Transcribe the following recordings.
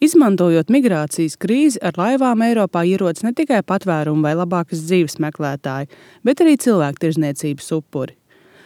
Izmantojot migrācijas krīzi, ar laivām Eiropā ierodas ne tikai patvērumu vai labākas dzīves meklētāji, bet arī cilvēktirdzniecības upuri.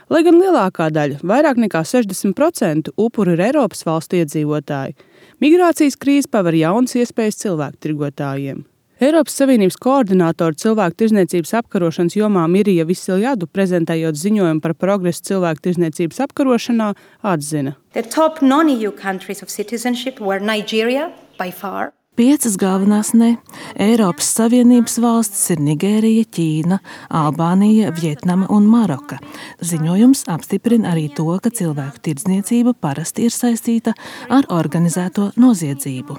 Lai gan lielākā daļa, vairāk nekā 60% upuru ir Eiropas valstu iedzīvotāji, migrācijas krīze paver jaunas iespējas cilvēktirgotājiem. Eiropas Savienības koordinātori cilvēktirdzniecības apkarošanas jomā Mirija Vasiljadu, prezentējot ziņojumu par progresu cilvēktirdzniecības apkarošanā, atzina. The top non-EU countries of citizenship were Nigeria, by far. 5 galvenās ne. Eiropas Savienības valstis ir Nigērija, Ķīna, Albānija, Vietnama un Maroka. Ziņojums apstiprina arī to, ka cilvēku tirdzniecība parasti ir saistīta ar organizēto noziedzību.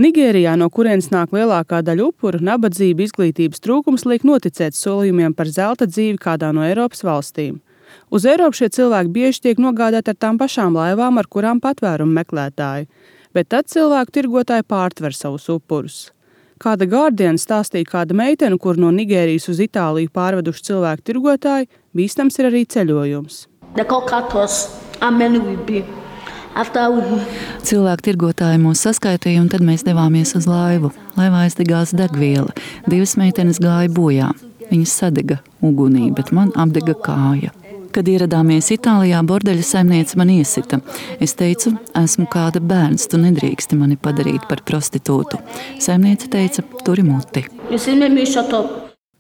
Nigērijā, no kurienes nāk lielākā daļa upuru, nabadzība, izglītības trūkums liek noticēt solījumiem par zelta dzīvi kādā no Eiropas valstīm. Uz Eiropu šie cilvēki bieži tiek nogādāti ar tām pašām laivām, ar kurām patvērumu meklētāji, bet tad cilvēku tirgotāji pārtver savus upurus. Kāda Guardian stāstīja kāda meitene, kur no Nigērijas uz Itāliju pārveduši cilvēku tirgotāji, bīstams ir arī ceļojums. Cilvēku tirgotāji mūs saskaitīja, un tad mēs devāmies uz laivu. Laivā aizdegās degviela. 2 meitenes gāja bojā. Viņas sadega ugunī, bet man apdega kāja. Kad ieradāmies Itālijā, bordeļa saimniece man iesita. Es teicu, esmu kāda bērns, tu nedrīksti mani padarīt par prostitūtu. Saimniece teica, turi muti.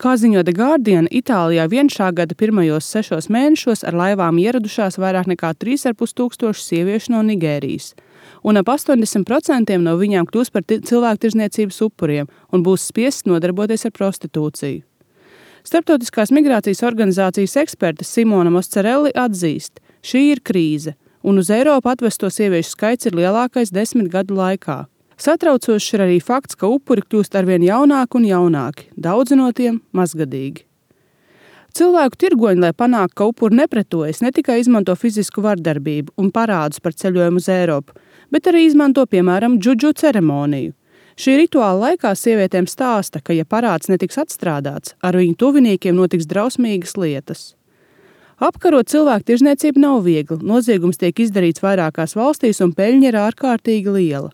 Kā ziņo The Guardian, Itālijā vien šā gada pirmajos 6 mēnešos ar laivām ieradušās vairāk nekā 3,5 tūkstoši sieviešu no Nigērijas. Un ap 80% no viņām kļūs par cilvēktirdzniecības upuriem un būs spiests nodarboties ar prostitūciju. Starptautiskās migrācijas organizācijas eksperte Simona Moscarelli atzīst, šī ir krīze, un uz Eiropu atvesto sieviešu skaits ir lielākais 10 gadu laikā. Satraucošs ir arī fakts, ka upuri kļūst arvien jaunāki un jaunāki, daudzi no tiem mazgadīgi. Cilvēku tirgoņi, lai panāktu, ka upuri nepretojas, ne tikai izmanto fizisku vardarbību un parādus par ceļojumu uz Eiropu, bet arī izmanto, piemēram, džudžu ceremoniju. Šī rituāla laikā sievietēm stāsta, ka, ja parāds netiks atstrādāts, ar viņu tuviniekiem notiks drausmīgas lietas. Apkarot cilvēku tirdzniecību nav viegli, noziegums tiek izdarīts vairākās valstīs un peļņa ir ārkārtīgi liela.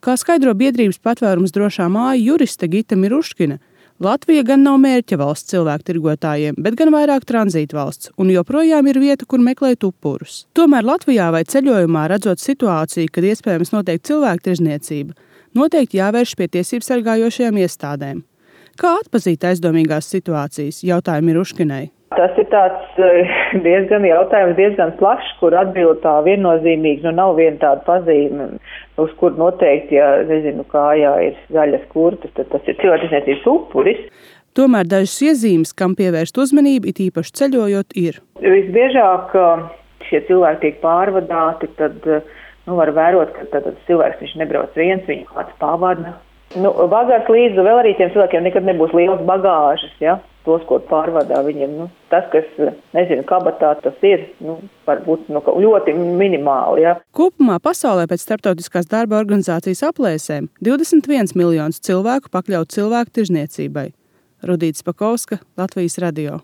Kā skaidro biedrības patvērums drošā māja juriste Gita Miruškina, Latvija gan nav mērķa valsts cilvēku tirgotājiem, bet gan vairāk tranzīta valsts, un joprojām ir vieta, kur meklēt upurus. Tomēr Latvijā vai ceļojumā, redzot situāciju, kad iespējams notiek cilvēku tirdzniecība, noteikti jāvērš pie tiesību sargājošajām iestādēm. Kā atpazīt aizdomīgās situācijas, jautāja Miruškinai. Tas ir tāds diezgan plašs, kur atbild tā viennozīmīgi, nav viena tāda pazīme, uz kur noteikti, ja kājā ir zaļas kurpes, tad tas ir cilvēktirdzniecības upuris. Tomēr dažas iezīmes, kam pievērst uzmanību, it īpaši ceļojot, ir. Visbiežāk šie cilvēki tiek pārvadāti, tad var vērot, ka tad cilvēks viņš nebrauc viens, viņu kāds pavada. Bagāžas līdzi vēl arī tiem cilvēkiem nekad nebūs liels bagāžas, ja? Tos, ko pārvadā viņiem. Tas, kas, kabatā tas ir, varbūt ļoti minimāli, ja? Kopumā pasaulē pēc Starptautiskās darba organizācijas aplēsēm 21 miljonus cilvēku pakļaut cilvēku tirdzniecībai. Rudīta Spakovska, Latvijas radio.